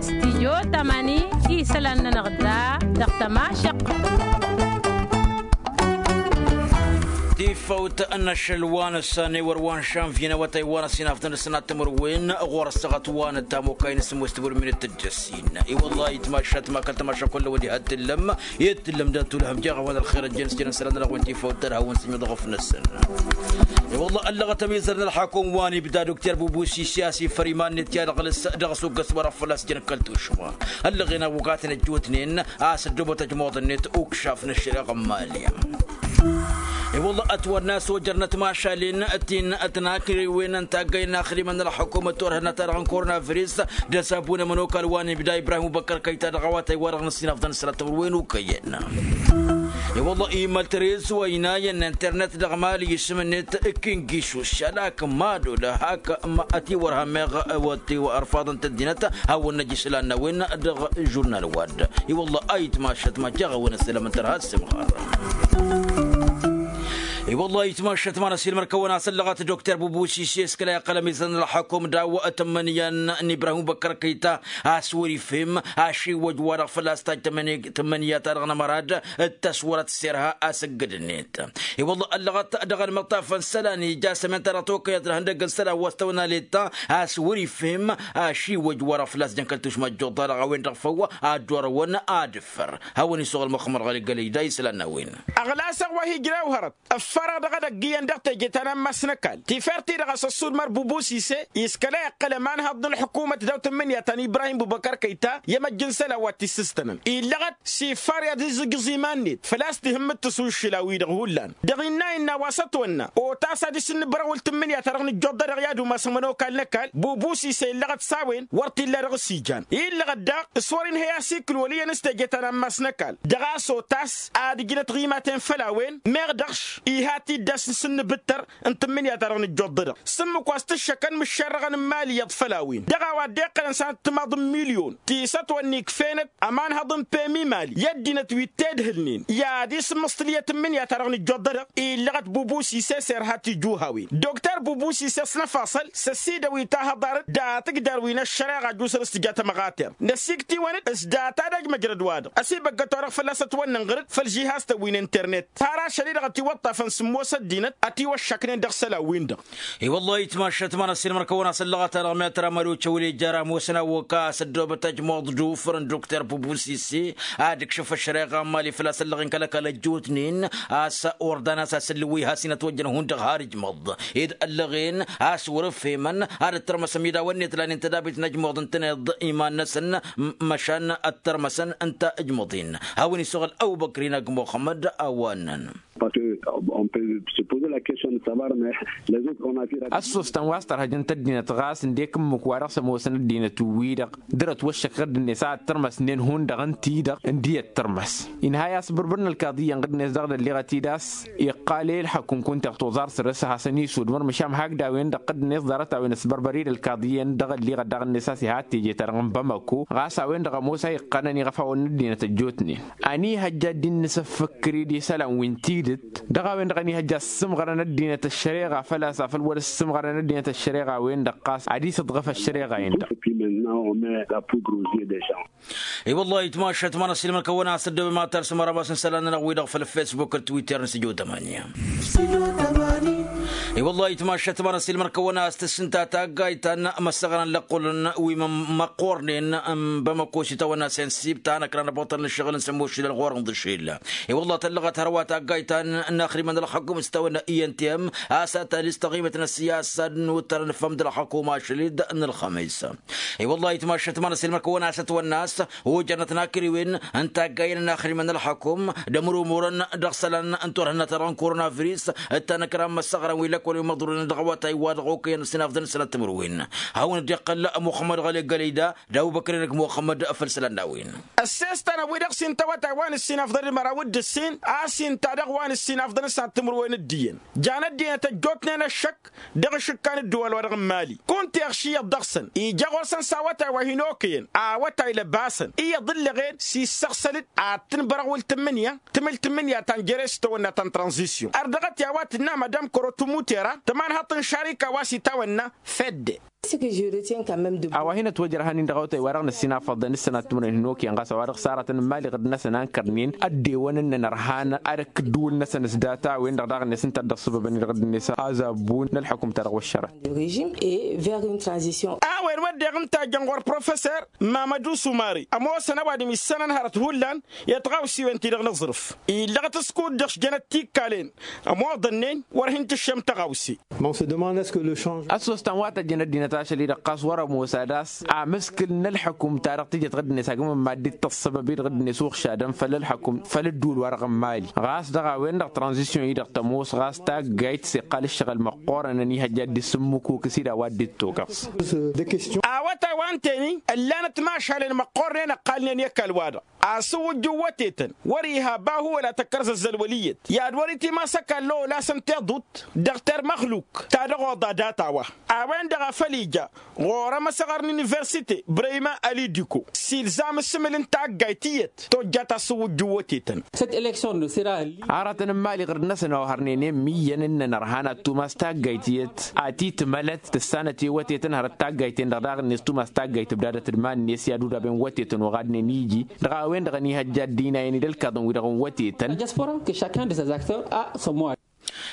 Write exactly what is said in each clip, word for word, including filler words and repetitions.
Stijyo tamani. Isălan-nănăɣ da dăɣ-tămašăɣt. Tifăwt n-ašăl wa n-ăssan i-wăr wa n-šanvyen awătay wa n-ăsinafḍăn d-sănat timǝrwen ɣur-ăssaɣăt wa n-ăttam okăyăn s-ămoos timǝrwen minit tǝjjăssin. I-wălla itmašat ma kăl-tămaša kull-wăn iha t-tǝllăm i-t-tǝllăm dăr-tulhăm jeɣ a-wa n-ălxer ăjjăn s-jănăn sălan-nănăɣ wen tifăwt tărhawăn s-ijmǝḍ ɣăf-năsăn. I-wălla ăllăɣăt ămizăr n-ălxakum wa n-ibda dokter bubusisi a-s ifăr iman-net i-ad-ăɣlǝs dăɣ-s uggăs wa dăɣ-fălla-s jăn kăl-tušma. Ăllăɣen ăwwăgatăn ăjjootnen a-s ăddoobăt ăjmuḍ-net ukšaf n-ăššăreɣa n-mali. I-wălla ătwănna a-s ojărnăt mašalen ti n-tănakriwen n-taggăyăn n-axdimăn n-ălxukumăt turhǝnna-ta-dăɣ n-korona viris d-ăsabun ămănokal wa n-ibda ibrahim ubăkkăr kăyy-ta dăɣ-awătay wa dăɣ-năssinafḍăn s-ălatămăr wen ukăyăn. I-wălla imăl tărez wa inayăn n-internet dăɣ-mali isǝm-net kingisus alak madol hak ma ătiwărha meɣ wătiwărfaḍăn tăddinăt hawăn-năj isălan n-a-wen dăɣ-žurnal wa-dd. I-wălla a itmašăt ma jeɣ a-wen ăsselăm n-tărha s-imɣar. I-wălla a itmašăt ma n-ăsilmăr kăwăn-asăllăɣăt dokter bubusis i-s kăla iqqăl ămizăn n-ălxukum daw-tămmănyan n-ibrahim ubăkkăr kăyy-ta a-s wăr-ifhem ašiwwăj wa dăɣ-fălla-s tajj tămmăniyat-ta-dăɣ n-amărad d-tăswărăt s-irha asǝggǝd-net. I-wălla ăllăɣăt dăɣ-ălmăṭṭaf n-isălan ija s-ămenta dăɣ-tokăyăt n-ihăndăgg n-isălan wa s-tăwănal i-ta a-s wăr-ifhem ašiwwăj wa dăɣ-fălla-s jăn kăl-tušma ăjjuḍa-dăɣ a-wen-dăɣ făw a dd-orăwăn ad-ǝffăr. Hawăn-isuɣǝl muxămmăd ɣăli gălăyda isălan n-a-wen. Ăɣlasăɣ wa hi-ǝjrew hărăt ǝffărăɣ dăɣ-edăgg iyyăn dăɣ-teje ta n-ammas n-ăkall tifert-i-dăɣ a-s ăssudmăr bubusise. Iskăla iqqăl ămanhăḍ n-ălḥukumăt daw-tǝmmǝnǝya ta n-ibrahim bubăkăr kăyy-ta i-emăjj n-isălan wa t-issǝstănăn illăɣăt s-iffar i-ad-izǝjǝẓ iman-net făl-a-s tihǝmmǝt tǝsuššǝl a-wi-dăɣ hullan. Dăɣ-innă innă a-wa s-ătwănna otas ad-isǝnnǝbrăwǝl tǝmmǝnǝya-ta-dăɣ nǝjjoḍ-dăɣ i-ad-umasăn ămănokal n-ăkall bubusise illăɣăt s-a-wen wăr t-illa dăɣ-s ijan. Illăɣăt daɣ s-wăr-inhăy a-s ikǝl wăl' iyyăn s-teje ta n-ammas n-ăkall dăɣ-a-s otas ad-ǝjnăt ɣimaten făll-a-wen meɣ dăɣ-š iha t-dd-asǝnsǝnnǝbǝttăr n-tǝmmǝnǝya-ta-dăɣ nǝjjoḍ-dăɣ s-ǝmmǝk wa s-tǝššăkăn mǝššărrăɣăn n-imali iyyăḍ făll-a-wen dăɣ-a-wa dd-iqqălăn s-ad-t timaḍ n-milyon ti s-ătwănna ikf'-enăt ămanhăḍ n-pemi mali i-ăddinăt wi t-edhǝlnen i-ad-isǝmmǝṣtǝl i-tǝmmǝnǝya-ta-dăɣ nǝjjoḍ-dăɣ. Illăɣăt bubusi s-e-s irha tijǝwhawen dokter bubusi s-e-s năfasăl s-ăsidăwit ahăḍarăt d-atǝjdar wi n-ăššăreɣa jusăn s-tǝja tămɣater năsikt'-iwăn-dd s-data d-ăj măjrăd-wa-dăɣ ăsibăggăt-wa-dăɣ fălla-s ătwănnăn ɣăr-dd făll-žihaztăn wi n-internet har ašăl-i-dăɣ ătiwăṭṭafăn sǝmmos ăddinăt ătiwăššăknen dăɣ-isălan-win-dăɣ. I-wăllah itmašăt ma n-ăssiilmăr-kăwăn-asăllăɣăt-anăɣ mi-ad-tăramări ocăwǝl ijjăr ămoosăn a-wa k-a-s ăddoobăt ăjmuḍ d-ufǝr n-dokter bubusisi ad-ǝkšǝf ăššăreɣa n-mali făl-a-s ăllăɣen kăl-ăkall ăjjootnen a-s ordan a-s asǝllǝw wi has-inătwăjjăn hundăɣ har ijmăḍ ed ăllăɣen a-s wăr-ǝfhemăn ad-ǝttărmăsăn midaw-net lanen tădabit n-ăjmuḍ ǝntăneḍ iman-năsăn măšan ăttărmăsăn ǝnta ǝjmăḍ-in. Hawăn-isuɣǝl ăbubăkr-in ăgg muxămmăd a-wa ǝnnăn. Parce que on peut se poser la question de savoir mais les autres on a vu. Ăssoostăn wa s-tărhăjăn tăddinăt ɣas ǝndek ǝmmǝk wa dăɣ-s ămoosăn ăddinăt-wi-dăɣ dăr-ătwăššăk ɣǝdd-net a ăttărmăsnen hundăɣ ǝnta-i-dăɣ ǝndi ăttărmăs. Inha i-asbărbăr n-ălkaḍiyya n-ɣǝdd-net dăɣ-dălliɣăt-id a-s iqqal i-ălxăkum kunta iɣtuẓar săr-s ad-hasăn-isudmăr măšan hakd a-wen-dăɣ ɣǝdd-net ḍarăt a-wen ăsbărbăr-dd ălkaḍiyya-en dăɣ-ălliɣăt daɣ-net a-s iha teje-ta-dăɣ n-bamako ɣas a-wen-dăɣ ămoos a iqqănăn iɣăfawăn n-ăddinăt ăjjootnen. Ăniihăjja ad-dd-nǝsǝffǝkkǝr-dd isălan wi n-tidǝt dăɣ-a-wen-dăɣ ăniihăjja ăssǝmɣărăn ăddinăt ăššăreɣa făl-a-s afăl wăr-ăssǝmɣărăn ăddinăt ăššăreɣa-wen-dăɣ ɣas ad-isǝḍɣǝf ăššăreɣa-en-dăɣ. I-wăllah itmašăt ma n-ăssiilmăr-kăwăn-asăddobem ad-tarsǝm arămas n-isălan-nănăɣ-wi-dăɣ făll-fesbuk d-twitter n-sǝjo tămani. I-wăllah itmašăt ma n-ăssiilmăr-kăwăn-as tǝssǝnta taggayt ta n-imăssăɣran lăqqulăn wi măqqornen n-bamăko s-itawănna sensib ta n-ăkran ăbăṭṭăl n-ǝššăɣǝl n-sămošilăl ɣur-inḍǝšel. I-wăllah tăllăɣăt hărwa taggayt ta n-inaxrimăn ălxăkum s-itawănna i n t m a-s ad-tălis taɣimăt n-ăssiyasa ad-nuttărăn fămm d-ălxăkum ašăl-dd n-ălxămis. I-wăllah itmašăt ma n-ăssiilmăr-kăwăn-as ătwănna a-s ojărnăt n-akriwen n-taggayen n-inaxrimăn ălxăkum d-ămrumurăn dăɣ-isălan n-turhǝnna-ta-dăɣ n-korona viris d-tanăkra n-imăssăɣran wi lăkol wi măḍrunen dăɣ-awătay wa dăɣ-okăyăn ăssinafḍăn isălan timǝrwen. Hawăn-dd-iqqăl muxămmăd ɣăli gălăyda d-abubăkr-in ăgg muxămmăd făll-isălan n-a-wen. Ăssestăn a-wi-dăɣ s-intawătay wa n-ǝssin afḍăn d-măraw d-ǝssin a-s inta dăɣ-wa n-ǝssin afḍăn s-ad-timǝrwen d-iyyăn jan ăddinăt ăjjootnen ăššăk dăɣ-ašǝkka n-ǝddǝwal-wa-dăɣ n-mali kunta iɣš iyyăḍ dăɣ-săn ija ɣur-săn s-awătay wa hin-okăyăn awătay lăbasăn iyyăḍ ǝllăɣen s-issăɣsăl-dd ad-tǝnbărăɣwǝl tǝmmǝnǝya tǝmǝl tǝmmǝnǝya ta n-jere s-tawănna ta n-tranzisyon ărdăɣăt i-a-wa tǝnna madam kărotǝmute. Tămanhăḍt n-šarika wa s-itawănna fedde. A-wa hin-ătwăjrăhăn-in dăɣ-awătay wa dăɣ-năssinafăḍăn s-sănat timǝrwen hin-okăyăn ɣas a-wa dăɣ-s aratăn n-imali ɣǝd-năsăn a ǝnkărnen ăddewăn ǝnnăn ărhan ad-ăkk ǝddǝwǝl-năsăn s-data-wen-dăɣ daɣ-net ǝnta a dd-ăṣṣăbăbăn-i dăɣ-dd-net azabbu n-ălḥukǝm-ta-dăɣ wăššărăt. A-wen wădden ǝnta a jăn ɣur-professor mamădu sumari ămoosăn ăwadǝm issănăn hărăt hullan i-tiɣawsiwen-ti-dăɣ n-aẓrǝf illăɣ-t s-kud-dăɣ s-jănăt tikkalăn ămoḍănnen wăr hin-tǝššăm tăɣawse. Ăssost ta n-wa tăjjăn ăddinăt ašăl-i-dăɣ ɣas wăr-ămoos ad-as amǝskǝl n-ălḥukǝm-ta-dăɣ tǝjăt ɣǝddǝnet agǝm n-mad-dd-tăṣṣăbăb-i-dăɣ ɣǝddǝnet uɣšadăn făll-ălḥukǝm făll-ădduul-wa-dăɣ n-mali ɣas dăɣ-a-wen-dăɣ tranzisyon-i-dăɣ tămoos ɣas taggayt s-iqqal ǝššăɣǝl măqqoorăn ănihăjja dd-isǝmmǝkukǝs-i d-a-wa dd-ittokăẓ. A-wa ta wa ǝnta-en-i ǝllanăt imašalen măqqoornen ǝqqalnen i-ăkall-wa-dăɣ asǝwwǝjju n-wătetăn wăr-iha bahu wăla tăkkărzăzzăl wăl' iyyăt i-ad-wăr-itimas ăkall olasăn teḍut dăɣ-termăxluk ta dăɣ-oḍa data-wa. A-wen-dăɣ a făl ija ɣur-emăsăɣăr n-universite brăyma ălidiko s-ilzam ǝssǝmǝl n-taggayt iyyăt tojjat asǝwwǝjju n-wătetăn. Aratăn n-imali ɣǝrd-năsăn ohărnen i-ămmiyyăn ǝnnăn ărhan ad-tumas taggayt iyyăt a t-itmălăt tǝssanăt i-wătetăn hărăt taggayt-en-dăɣ daɣ-net tumas taggayt ǝbdadăt d-iman-net i-ad-udaben wătetăn oɣadnen iji dăɣ-a-wen-dăɣ ănihăjja ăddinayăn-i d-ălkaḍăn-wi-dăɣ n-wătetăn.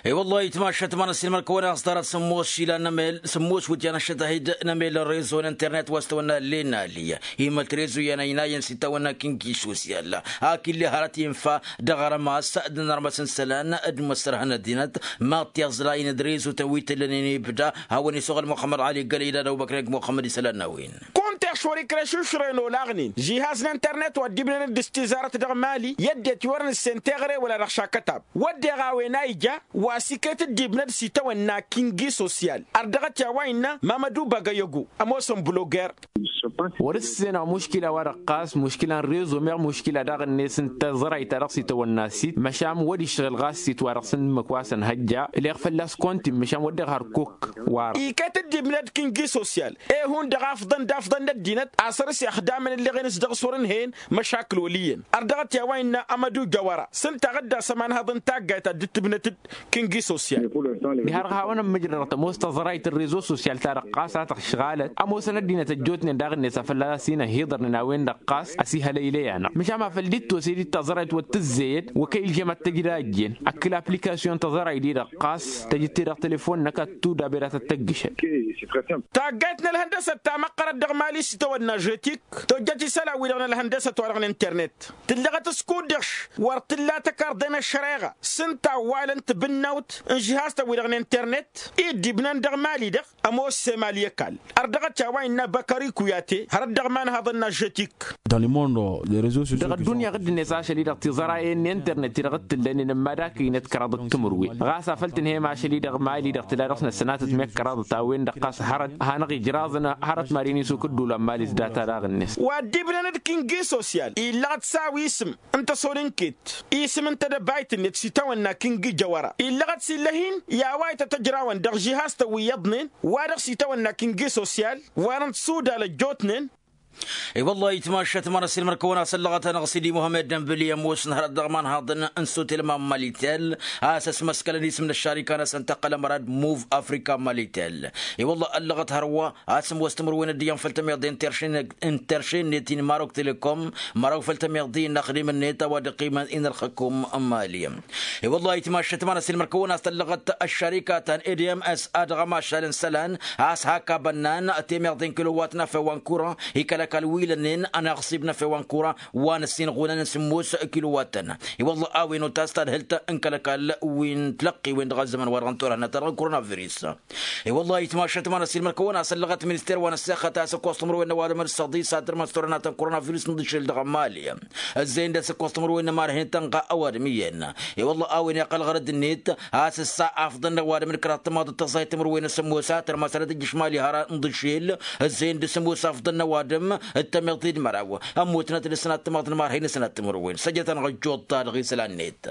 I-wăllah itmašat ma n-ăssiilmăr-kăwăn a-s ḍarăt sǝmmos išilan n-emel sǝmmos wǝtyan ăššăt ahid n-emel n-rezo n-internet wa s-tawănna lenali. Imălt rezo i-anăynayăn s-itawănna kinki sosyal. Akǝlle hărăt infa dăɣ-armas d-inărmăs n-isălan d-imăssărhăn ăddinăt ma t-iẓlayăn d-rezo-tăn wi t-ǝllănen ibda hawăn-isuɣǝl muxămmăd ali gălăy d-ad-ăbubăkr n-eg muxămmăd isălan n-a-wen. Kunta iɣšor ikreš išrăyăn olaɣnen žihaz n-internet wa ăddibnănăt d-s-tizarăt dăɣ-mali i-ăddinăt i-wăr nǝssen teɣăre wăla dăɣ-šakkătab. Wădden a-wen a ija wa s-iket dd-ibnăd s-itawănna kingi sosyal ărdăɣăt i-a-wa innă mamădu bagăyăgu ămoosăn bloger. Wăr-ǝssenăɣ muškila-wa-dăɣ ɣas muškila n-rezo meɣ muškila daɣ-net n-taẓrayt ta dăɣ-s itawănna sit măšan wăr-išrăl ɣas sit wa dăɣ-s n-ǝmmǝk wa s-ănhăjja. Leɣ fălla-s kontin măšan wădden hărkuk. Wăr-dd-iket dd-ibnăd kingi sosyal. Ehun-dăɣ afḍăn d-afḍăn n-ăddinăt a săr-s ixdamăn ǝlleɣen s-dăɣ-s wăr-ǝnhăyăn măšakǝl wăl' iyyăn. Ărdăɣăt i-a-wa innă amădu jăwăra s-ǝnta a ɣǝdda a-s ămanhăḍ n-taggayt ta dd-tǝbnăt-dd kingi sosyal. Diha-dăɣ hawăn-ămmǝjrădăɣ tămoos taẓrayt n-rezo sosyal-ta-dăɣ ɣas a tăɣšɣalăt ămoosăn ăddinăt ăjjootnen daɣ-net a fălla-s inăhiḍărnen a-wen-dăɣ ɣas ăsihălăylăy-anăɣ măšan ma făl dd-tosedit taẓrayt wa t-tǝzzeyăd wa kăy-ǝlžăm ad-tăj d-a ăjjeen ăkkǝl aplikasyon taẓrayt-i-dăɣ ɣas tăj-t-e dăɣ-telefon-năk ad-tudabe d-ad-tăt-tăggǝšăd. Taggayt n-ălhăndăsăt ta măqqărăt dăɣ-mali s-tăwănna žetik tojjăt isălan-wi-dăɣ n-ălhăndăsăt-wa-dăɣ n-internet tǝllăɣăt s-kud-dăɣ wăr tǝlla tăkarḍe n-ăššăreɣa s-ǝnta a ǝwwalăn tǝbǝnnawt n-žihaztăn-wi-dăɣ n-internet i dd-ibnăn dăɣ-mali-dăɣ. Ămoos s-emali ăkall ărdăɣăt i-a-wa innă băkări kuyate hărăt dăɣ-imanhaḍăn n-ažžătik. Dăɣ-ăddunya ɣǝdd-net ašăl-i-dăɣ tiẓărayen n-internet-i-dăɣ t-tǝllănen ămmadakăynăt kăraḍăt timǝrwen ɣas a făl tǝnhăyăm ašăl-i-dăɣ mali-dăɣ tǝla dăɣ-s năssănatăt meɣ kăraḍăt a-wen-dăɣ ɣas hărăt hanăɣ-ijraẓăn hărăt mad-inǝsuk ǝddul ămmali s-data daɣ-net. Wa dd-ibnăn d-kingi sosyal illăɣ-t s-a-wa isǝm ǝnta s-ol ǝnket isǝm ǝnta d-ăbayt-net s-itawănna kingi jăwăra illăɣăt s-illăh-in i-a-wa ităt ăjrawăn dăɣ-žihaztăn wi iyyăḍnen wa dăɣ-s itawănna kingi sosyal. Wa dăɣ-s udal ăjjootnen. I-wăllah itmašat ma n-ăssiilmăr-kăwăn a-s ăllăɣăt-anăɣ s-idi muhămmăd dănbǝli ămoosăn hărăt dăɣ-imanhaḍăn n-sutel ma n-malitel a-s ăsmăskălăn isǝm n-ăššarika-năsăn tăqqăl ămăra d-muv afrika malitel. I-wăllah ăllăɣăt hărwa a-s ămoos timǝrwen d-iyyăn făll-tămiḍe n-terše-net i-inmarok telekom măraw făll-tămiḍe n-ăxdim-net a-wa dd-iqqimăn i-inălxǝkum n-mali. I-wăllah itmašat ma n-ăssiilmăr-kăwăn a-s tăllăɣăt ăššarika ta n-edms a dăɣ-ămašal n-isălan a-s hak abănnan temeḍe n-kilowat n-afew wa n-kura ikăl ăkall wi lănnen ănaɣsib n-afew wa n-kura wa n-ăssinɣunăn n-sǝmmos kilowat-tăn. I-wăllah a-wen otas tadhǝlt n-kăl-ăkall wi n-tilăqqiwen dăɣ-ăzzăman wa dăɣ-n turhănna ta dăɣ-n kura n-aviris. I-wăllah itmašat ma n-ăssiilmăr-kăwăn a-s ăllăɣăt minister wa n-ăssexăt a-s ǝkkoẓ timǝrwen n-ăwadǝm d-săḍis ad-tărmăs turhănna ta n-kura n-aviris n-dd-išǝl dăɣ-ămali. Ăzzeyăn d-asǝkkoẓ timǝrwen n-ămarhen tănɣa ăwadǝm iyyăn. I-wălla a-wen iqqăl ɣărăd-net a-s ǝssa afḍăn n-ăwadǝm d-kăraḍ timaḍ d-tăẓẓayt timǝrwen s-ămoos a tărmăsărăt ijǝšmal ihăra n-iḍǝšel. Ăzzeyăn d-asǝmoos afḍăn n-ăwadǝm d-tămiḍt d-măraw ămmutnăt d-sănat timaḍ n-ămarhen d-sănat timǝrwen săjjătăn ăjjoḍ-ta-dăɣ isălan-net.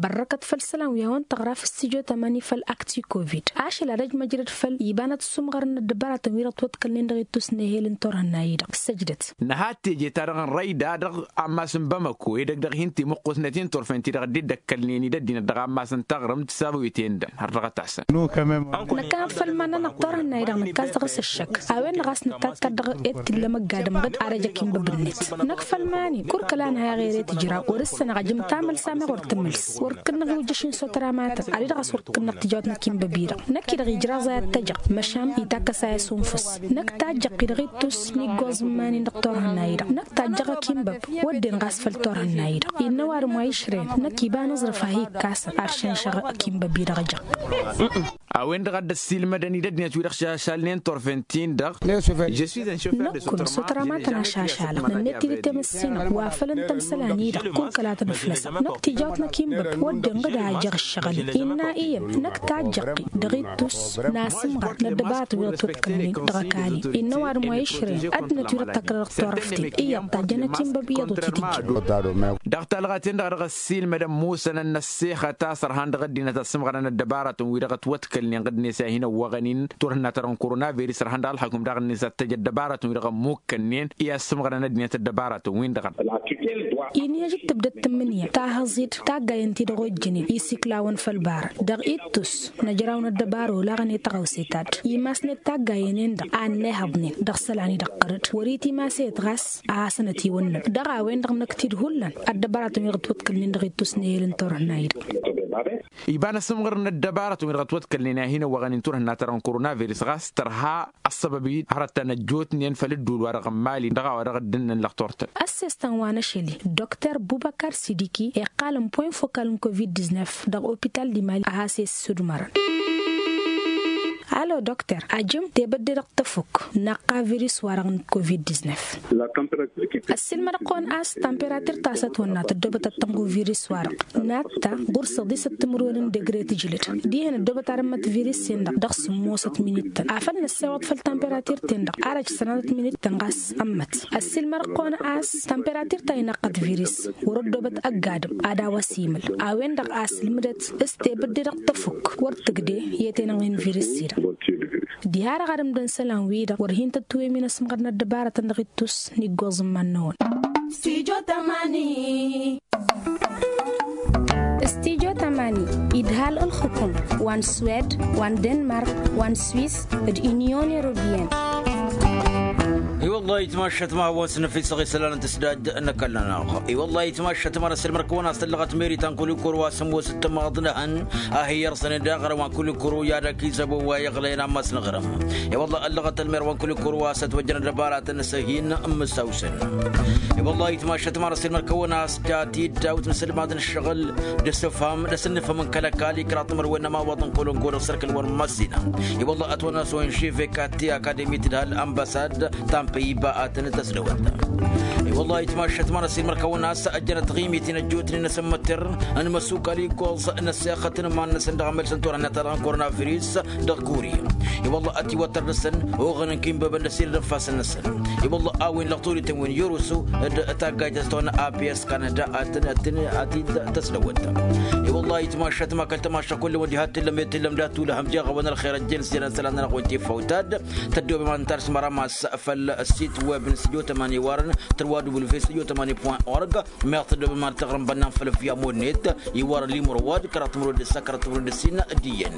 Bărrăkăt făll-isălan wi hawăn-tăɣra f-stijo tamani făll-akti covid ašăl ad-ăj măjrăd făll-iba n-ad-sumɣărăn n-ăddăbaratăn wi-dăɣ twăḍkălnen dăɣ-ittus n-ehel n-turhǝnna-i-dăɣ săjdăt. Nǝha teje-ta-dăɣ n-răyda dăɣ-ammas n-bamăko edăgg dăɣ-hin-timǝqqusnet-i n-turfen-ti-dăɣ dd-ăkkălnen-dd ăddinăt dăɣ-ammas n-taɣrǝmt s-abăwiten-dăn har dăɣ-ătasăn. Năkkănăt făll-iman-nănăɣ turhǝnna-i-dăɣ nǝkkas dăɣ-s ăššăk a-wen-dăɣ a-s nǝttat kăr-dăɣ ed t-illa măgg-adǝm ɣǝd ad-ăj akimba bǝnnet. Năkk făll-iman-in kurkăl a nǝha iɣer i-tǝjra wăr-ǝssănăɣ ajǝm tamălsa meɣ wăr tǝmǝls wăr kǝnnăɣ iwǝjjăš n-sotăra matăn ad-i-dăɣ a-s wăr kǝnnăɣ tijawt n-akimba-bi-dăɣ. Năkk-i-dăɣ ijraẓ a i-ad-tăjăɣ măšan itakăs a i-asunnfǝs. Năkk tajjăɣt-i dăɣ-ittus n-iggoẓ n-iman-in dăɣ-turhǝnna-i-dăɣ năkk tajjăɣ akimba-b. Wădden ɣas făll-turhǝnna-i-dăɣ innă ăwadǝm wa išrăyăn năkk iba n-aẓrǝf a hi-ikkasăn ad-šănšăɣ akimba-bi-dăɣ ăjăɣ. A-wen-dăɣ a dd-ăssiilmădăn-dd ăddinăt wi-dăɣ šašalnen turfen-tin-dăɣ. Năkk-kăwăn sotăra ma tăn-ašašalăɣ nănnet-dd i-temăssinăɣ wa făl ǝnta n-isălan-i-dăɣ kurkăl a tăn-ǝflăsăɣ năkk tijawt n-akinbăb wădden ɣǝd a ăjăɣ ǝššăɣǝl. Innă iyyăn năkk tajjăɣ-i dăɣ-ittus n-asǝmɣăr n-ăddăbaratăn wi dăɣ-twăḍkălnen dăɣ-ăkall-i. Innă ăwadǝm wa išrăyăn ăddinăt wi dăɣ-tăkrădăɣ turăft-in iyyăḍ tajjăn akinbăb iyyăḍ wăr t-dd-ǝjjǝn. Dăɣ-talɣaten-dăɣ a dăɣ-ăssiilmădăn musănăn n-ăssexăt a-s ărhan dăɣ-ăddinăt ăssǝmɣărăn ăddăbaratăn wi dăɣ-ătwăḍkălnen ɣǝdnet i-ad-hin-ăwwăɣăn-in turhǝnna-ta-dăɣ n-korona viris ărhan dăɣ-ălxăkum daɣ-net ad-t-ăj ăddăbaratăn wi dăɣ-ămmukkănnen i-ad-sǝmɣărăn ăddinăt ăddăbaratăn-win-dăɣ. Inhăj d-tǝbdăt tǝmmǝnǝya tahăẓ-dd taggayen ti-dăɣ ojjănen isiklawăn făll-ibarăn dăɣ-ittus. Năjraw n-ăddăbara olaɣăn i-tăɣawse ta dd-imasnet taggayen-en-dăɣ a ănnihăḍnen dăɣ-isălan-i-dăɣ ɣăr-dd wăr-itimas eyyăt ɣas a hasăn-ătiwănnăl. Dăɣ-a-wen-dăɣ năkk tidhullăn ăddăbaratăn wi dăɣ-ătwăḍkălnen dăɣ-ittus n-ehel n-turhǝnna-i-dăɣ. Iba n-asǝmɣăr n-ăddăbaratăn wi dăɣ-ătwăḍkălnen i-ad-hin-ăwwăɣăn-in turhǝnna-ta-dăɣ n-korona viris ɣas tărha ăssăbăb-i hărăt ta n-ăjjootnen făll-ǝddul wa dăɣ-n mali dăɣ-a-wa dăɣ-dd-ǝnnăn lăxturtăn. Ăssestan wa n-ašăl-i dr bubăkar sidiki iqqalăn point fokal n-covid-diznef dăɣ-opital di mali a has-e-ǝssudmărăn. Alo dr ajǝm tebădde dăɣ-tăfuk naqqa viris wa-dăɣ n-covid-diznef. Ăssiilmădăɣ-kăwăn a-s tamperatir ta s-ătwănna tăddoobăt ad-tănɣu viris-wa-dăɣ natta ɣur-săḍisăt timǝrwen n-degre tǝjlǝd. Dihen ăddoobăt ad-ǝmmăt viris-en-dăɣ dăɣ-sǝmmosăt minittăn afăl năssewăḍ făll-tamperatir-ten-dăɣ ar ăj sănatăt minittăn ɣas ămmăt. Ăssiilmădăɣ-kăwăn a-s tamperatir ta inaqqăt viris wăr-ăddoobăt ăgg-adǝm ad-a-wa s-imǝl. A-wen-dăɣ a sǝlmǝdăt s-tebădde dăɣ-tăfuk wăr tǝgde i-tenănɣi n-viris-i-dăɣ. Diha-dăɣ ad-ǝmdăn isălan-wi-dăɣ wăr hin-tăt-tiwǝyăm inăsmăɣrăn ăddăbarătăn dăɣ-ittus n-iggoẓ n-iman-năwăn. Stijo tamani idhal ǝlxǝkum wa n-swed wa n-denmark wa n-swis d-inyon europeyăn. I-wăllah itmašăt ma hawăn-s năfisăɣ isălan n-tǝsdad n-ăkall-nănăɣ. I-wăllah itmašăt ma n-asǝlmăr-kăwăn a-s tăllăɣăt meri ta n-kulikuru wa s-ămoos d-tămaḍnăhăn a hi-iyyăr săn-dd aɣrǝm wa n-kulikuru i-ad-ăkizăbun wa iɣlăyăn ammas n-aɣrǝm. I-wălla ăllăɣăt ălmer wa n-kulikuru wa s-ătwăjjăn ăddăbaratăn s-hin-mǝsawsăn. I-wălla itmašăt ma n-asǝlmăr-kăwăn a-s ja tiddawt n-isǝlmad n-ǝššăɣǝl d-asǝfham d-asǝnnǝfhăm n-kăl-ăkall i-kăraḍ timǝrwen n-ămawaḍ n-kolongo dăɣ-sărkǝl wăr-măssină. I-wălla ătwănna s-onživek atti akademi tǝdhal ănbăsad ta n-păyba ad-tăn-tăsdăwăt. I-wălla itmašăt ma n-asǝlmăr-kăwăn a-s ăjjănăt tiɣimit n-ăjjootnen n-asǝmmătăr n-imăsukal iggoẓ n-ăssexăt n-iman-năsăn dăɣ-amălsăn turhǝnna-ta-dăɣ n-korona viris dăɣ-kuri. I-wălla ătiwăttăr-năsăn oɣăn n-kinbăbăn d-ăsidăd ǝnfasăn-năsăn. I-wălla a-wen lăɣturităn wen yărusu d-taggayt s-tăwănna aps kanada ad-tăn-tăn ad-t-dd-tăsdăwăt. I-wălla itmašăt ma kăl-tămaša kull-wăn diha t-tǝllăm i-tǝllăm dat-tulăhăm jeɣ-awăn ălxer ăjjăn s-jănăn isălan-nănăɣ-wen tiffawt-ad-tăddoobăm ad-nǝnta ar s-măra ma s-făll-sit web n-studio tamani iwarăn tărwa w studio tamani point org. Meɣ tăddoobăm ad-tăɣrǝm bănnan făll-via modnet iwarăn limur wa d-kăraḍ timǝrwen d-ǝssa kăraḍ timǝrwen d-ǝssin d-iyyăn.